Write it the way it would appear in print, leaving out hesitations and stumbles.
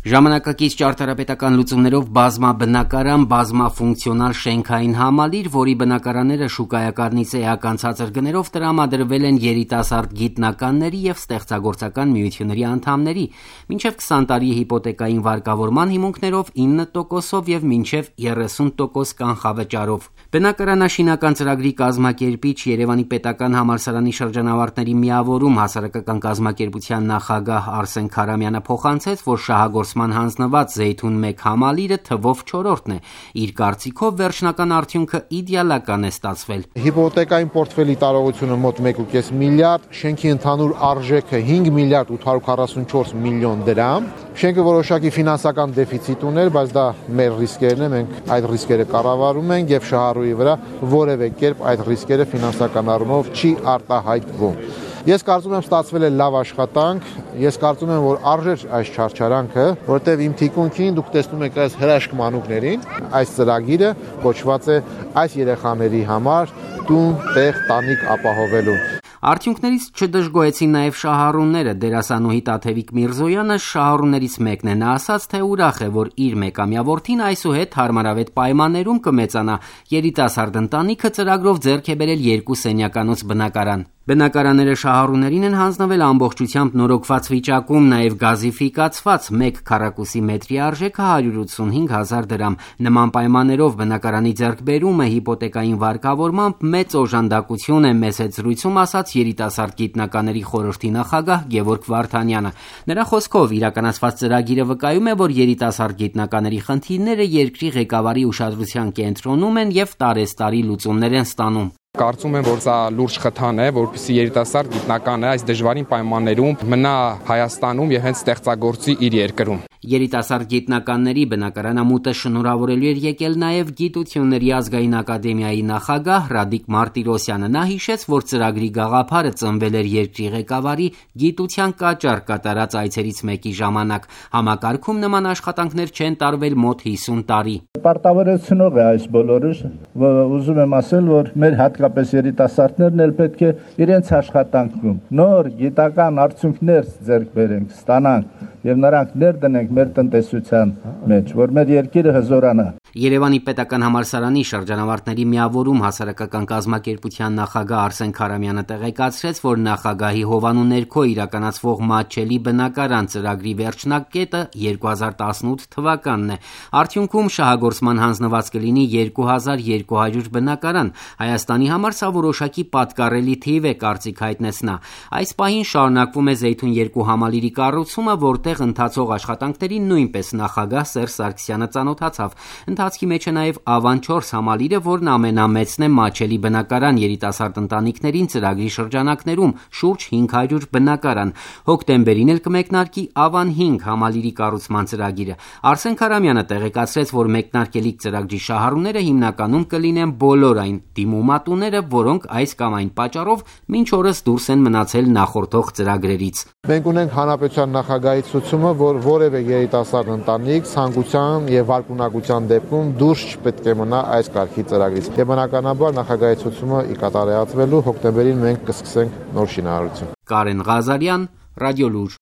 Ժամանակակից ճարտարապետական լուծումներով բազմաբնակարան, բազմաֆունկցիոնալ շենքային համալիր, որի բնակարանները շուկայականից էական ցածր գներով տրամադրվել են երիտասարդ գիտնականների եւ ստեղծագործական միությունների անդամների, մինչեւ 20 տարի հիպոթեկային վարկավորման հիմունքներով 9%-ով եւ մինչեւ 30% կանխավճարով։ Բնակարանաշինական ծրագրի կազմակերպիչ Երևանի պետական համալսարանի շրջանավարտների միավորում հասարակական կազմակերպության նախագահ Արսեն Քարամյանը փոխանցեց, որ շահագործման հանձնված Զեյթուն 1 համալիրը թվով 4-րդն է։ Իր կարծիքով վերջնական արդյունքը իդեալական է ստացվել։ Հիպոթեկային պորտֆելի տարողությունը մոտ 1.5 միլիարդ, շենքի ընդհանուր արժեքը 5 միլիարդ 844 միլիոն դրամ։ Շենքը որոշակի ֆինանսական դեֆիցիտ ուներ, բայց դա մեր ռիսկերն է, մենք այդ ռիսկերը կառավարում ենք եւ շահառուի վրա որևէ կերպ այդ ռիսկերը ֆինանսական առումով չի արտահայտվում։ Ես կարծում եմ ստացվել է լավ աշխատանք, ես կարծում եմ, որ արժեր այս չարչարանքը, որտեղ իմ թիկունքին դուք տեսնում եք այս հրաշք մանուկներին, այս ծրագիրը կոչված է այս երեխաների համար տուն, տեղ, տանիք ապահովելու։ Արդյունքներից չդժգոհեցին նաև շահառուները։ Դերասանուհի Տաթևիկ Միրզոյանը շահառուներից մեկն է։ Նա ասաց, թե ուրախ է, որ իր մեկամյա որդին այսուհետ հարմարավետ պայմաններում կմեծանա։ Երիտասարդ ընտանիքը ծրագրով ձեռք է բերել 2 սենյականոց բնակարան։ Բնակարանները շահառուներին են հանձնվել ամբողջությամբ նորոգված վիճակում, նաև գազիֆիկացված 1 քառակուսի մետրի արժեքը 185,000 դրամ։ Նման պայմաններով բնակարանի ձեռքբերումը հիպոթեկային վարկավորմամբ մեծ օժանդակություն է, մեծ զրույցում ասաց երիտասարդ գիտնականների խորհրդի նախագահ Գևորգ Վարդանյանը։ Նրա խոսքով իրականացված ծրագիրը վկայում է, որ երիտասարդ գիտնականների խնդիրները երկրի ղեկավարի ուշադրության կենտրոնում են եւ տարեստարի լուծումներ են ստանում։ Կարծում եմ, որ սա լուրջ խթան է, որպեսզի երիտասարդ գիտնականը այս դժվարին պայմաններում մնա Հայաստանում եւ հենց ստեղծագործի իր երկրում։ Երիտասարդ գիտնականների բնակարանամուտը շնորհավորելու էր եկել նաև Գիտությունների ազգային ակադեմիայի նախագահ Ռադիկ Մարտիրոսյանը։ Նա հիշեց, որ ծրագրի գաղափարը ծնվել էր երկրի ղեկավարի գիտության կաճառ կատարած այցերից մեկի ժամանակ։ Համակարգում նման աշխատանքներ չեն տարվել մոտ 50 տարի։ Պարտավորեցնող է այս բոլորը, ուզում եմ ասել, որ մեր հատկապես երիտասարդներն էլ պետք է իրենց աշխատանքում նոր գիտական արդյունքներ ձեռք բերենք, ստանանք եւ նրանք ներդնենք մեր տնտեսության մեջ, որ մեր երկիրը հզորանա։ Երևանի պետական համալսարանի շրջանավարտների միավորում հասարակական կազմակերպության նախագահ Արսեն Քարամյանը տեղեկացրեց, որ նախագահի հովանու ներքո իրականացվող մատչելի բնակարան ծրագրի վերջնակետը 2018 թվականն է։ Արդյունքում շահագործման հանձնված կլինի 2200 բնակարան։ Հայաստանի համար սա որոշակի պատկառելի թիվ է, կարծիք հայտնեց նա։ Այս պահին շարունակվում է Զեյթուն 2 համալիրի կառուցումը, որտեղ ընթացող աշխատանքներին նույնպես նախագահ Սերժ Սարգսյանը ծանոթացավ։ Ընթացքի մեջ է նաև Ավան 4 համալիրը, որն ամենամեծն է մատչելի բնակարան երիտասարդ ընտանիքներին ծրագրի շրջանակներում, շուրջ 500 բնակարան։ Հոկտեմբերին էլ կմեկնարկի Ավան 5 համալիրի կառուցման ծրագիրը։ Արսեն Քարամյանը տեղեկացրեց, որ մեկնարկելիք ծրագրի շահառուները հիմնականում կլինեն բոլոր այն դիմումատուները, որոնք այս կամ այն պատճառով մինչ օրս դուրս են մնացել նախորդող ծրագրերից։ Մենք ունենք հանրապետության նախագահի ցուցումը, որ որևէ երիտասարդ ընտանիք ցանկության եւ վարկունակության դեպքում դուրս չպետք է մնա այս կարգի ծրագրից։ Եվ բնականաբար նախագահի ցուցումը ի կատարելացվելու հոկտեմբերին մենք կսկսենք նոր շինարարություն։ Կարեն Ղազարյան, Ռադիոլուր։